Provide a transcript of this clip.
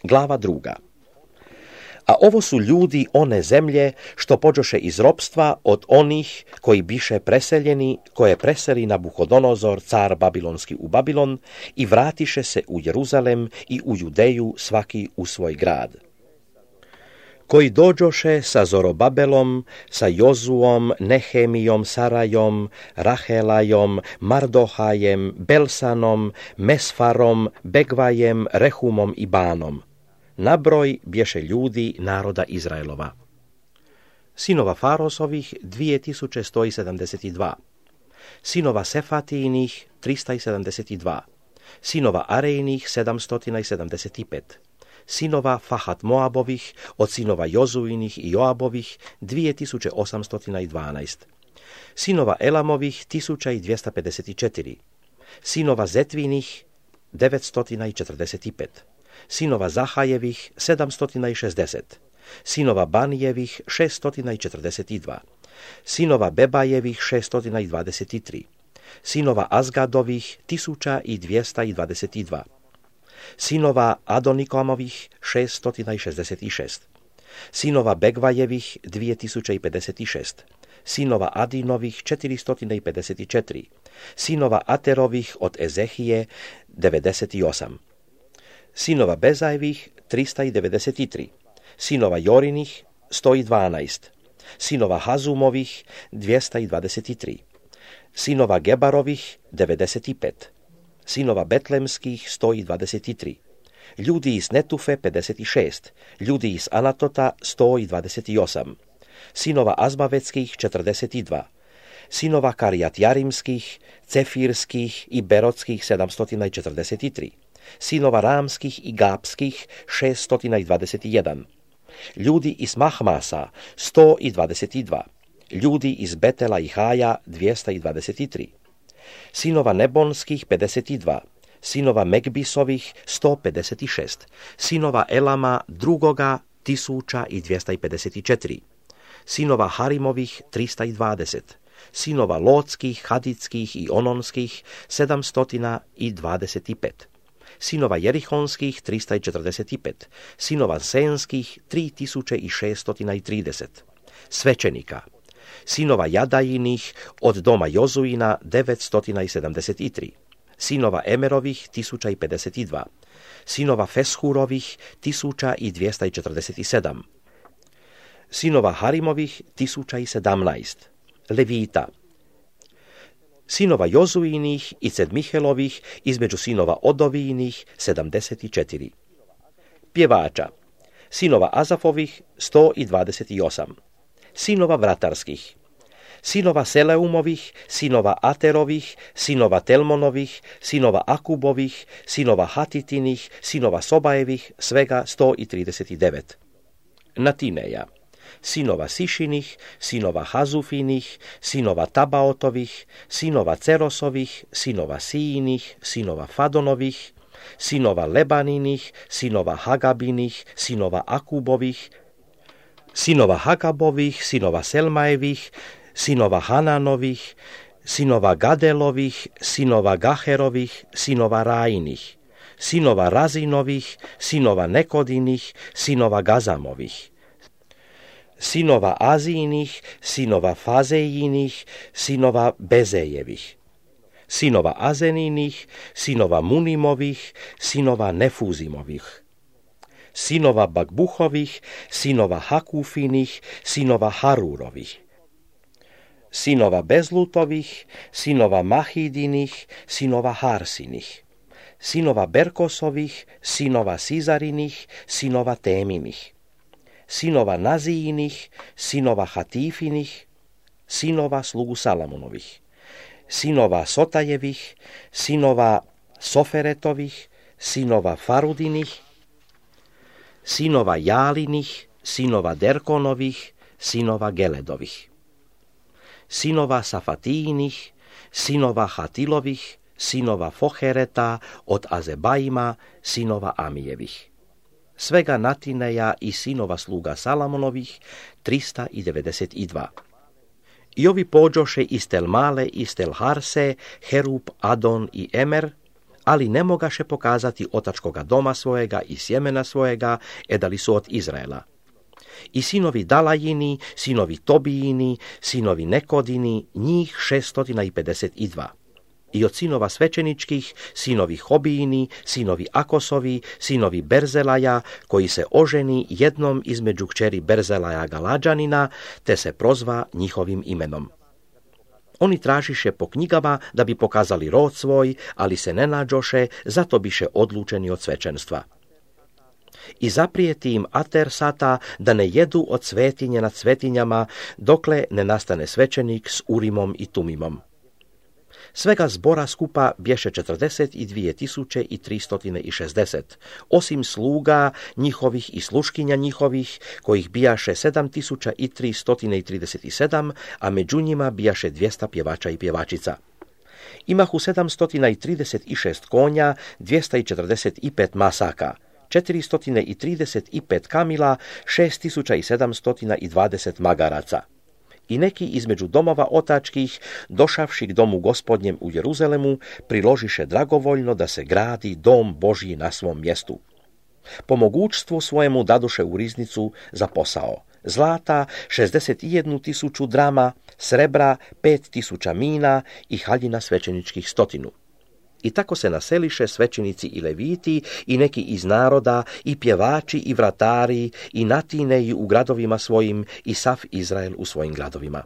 Glava 2. A ovo su ljudi one zemlje što pođoše iz ropstva od onih koji biše preseljeni, koje preseli Nabuhodonozor, car Babilonski u Babilon, i vratiše se u Jeruzalem i u Judeju svaki u svoj grad. Koji dođoše sa Zorobabelom, sa Jozuom, Nehemijom, Sarajom, Rahelajom, Mardohajem, Belsanom, Mesfarom, Begvajem, Rehumom i Banom. Nabroj bješe ljudi naroda Izraelova. Sinova Farosovih 2172. Sinova Sefatijinih 372. Sinova Arejnih 775. Sinova Fahat Moabovih od sinova Jozuinih i Joabovih 2812. Sinova Elamovih 1254. Sinova Zetvinih 945. Sinova Zahajevih 760. Sinova Banijevih 642. Sinova Bebajevih 623. Sinova Azgadovih 1222. Sinova Adonikomovih 666. Sinova Begvajevih 2056. Sinova Adinovih 454. Sinova Aterovih od Ezehije 98. Sinova Bezajevih 393. Sinova Jorinih 112. Sinova Hazumovih 223. Sinova Gebarovih 95. Sinova Betlemskih 123. Ljudi iz Netufe 56. Ljudi iz Anatota 128. Sinova Azmavetskih 42. Sinova Karijatjarimskih, Cefirskih i Berotskih 743. Sinova Ramskih i Gapskih 621. Ljudi iz Mahmasa 122. Ljudi iz Betela i Haja 223. Sinova Nebonskih 52. Sinova Megbisovih 156. Sinova Elama drugoga 1254. Sinova Harimovih 320. Sinova Lotskih, Haditskih i Ononskih 725. Sinova Jerihonskih 345. Sinova Senskih 3630. Svećenika. Sinova Jadajinih od doma Jozuina 973. Sinova Emerovih 1052. Sinova Feshurovih 1247. Sinova Harimovih 1017. Levita. Sinova Jozuinih i Cedmihelovih između sinova Odovijinih 74. Pjevača. Sinova Azafovih 128. Sinova Vratarskih. Sinova Seleumovih, sinova Aterovih, sinova Telmonovih, sinova Akubovih, sinova Hatitinih, sinova Sobajevih, svega 139. Natineja. Sinova Sišinih, sinova Hazufinih, sinova Tabaotovih, sinova Cerosovih, sinova Sijinih, sinova Fadonovih, sinova Lebaninih, sinova Hagabinih, sinova Akubovih, sinova Hagabovih, sinova Selmajevih, sinova Hananovih, sinova Gadelovih, sinova Gaherovih, sinova Rajinih, sinova Razinovih, sinova Nekodinih, sinova Gazamovih, sinova Azijinih, sinova Fazejinih, sinova Bezejevih, sinova Azeninih, sinova Munimovih, sinova Nefuzimovih, sinova Bagbuhovih, sinova Hakufinih, sinova Harurovih, sinova Bezlutovih, sinova Mahidinih, sinova Harsinih, sinova Berkosovih, sinova Sizarinih, sinova Teminih, sinova Nazijinih, sinova Hatifinih, sinova slugu Salamonovih, sinova Sotajevih, sinova Soferetovih, sinova Farudinih, sinova Jalinih, sinova Derkonovih, sinova Geledovih, sinova Safatijinih, sinova Hatilovih, sinova Fohereta od Azebajima, sinova Amijevih. Svega Natineja i sinova sluga Salamonovih 392. I ovi pođoše iz Tel Male, iz Tel Harse, Herub, Adon i Emer, ali ne mogaše pokazati otačkoga doma svojega i sjemena svojega, edali su od Izraela. I sinovi Dalajini, sinovi Tobijini, sinovi Nekodini, njih 652. I od sinova svećeničkih, sinovi Hobijini, sinovi Akosovi, sinovi Berzelaja, koji se oženi jednom između kćeri Berzelaja Galađanina, te se prozva njihovim imenom. Oni tražiše po knjigama da bi pokazali rod svoj, ali se ne nađoše, zato biše odlučeni od svećenstva. I zaprijeti im Atersata da ne jedu od svetinje nad svetinjama, dokle ne nastane svećenik s Urimom i Tumimom. Svega zbora skupa bješe 42.360, osim sluga njihovih i sluškinja njihovih, kojih bijaše 7.337, a među njima bijaše 200 pjevača i pjevačica. Imahu 736 konja, 245 masaka, 435 kamila, 6.720 magaraca. I neki između domova otačkih, došavši k domu gospodnjem u Jeruzalemu, priložiše dragovoljno da se gradi dom Božji na svom mjestu. Po mogućstvu svojemu daduše u riznicu za posao. Zlata 61.000 drama, srebra 5.000 mina i haljina svećeničkih 100. I tako se naseliše svećenici i leviti i neki iz naroda i pjevači i vratari i natineji u gradovima svojim i sav Izrael u svojim gradovima.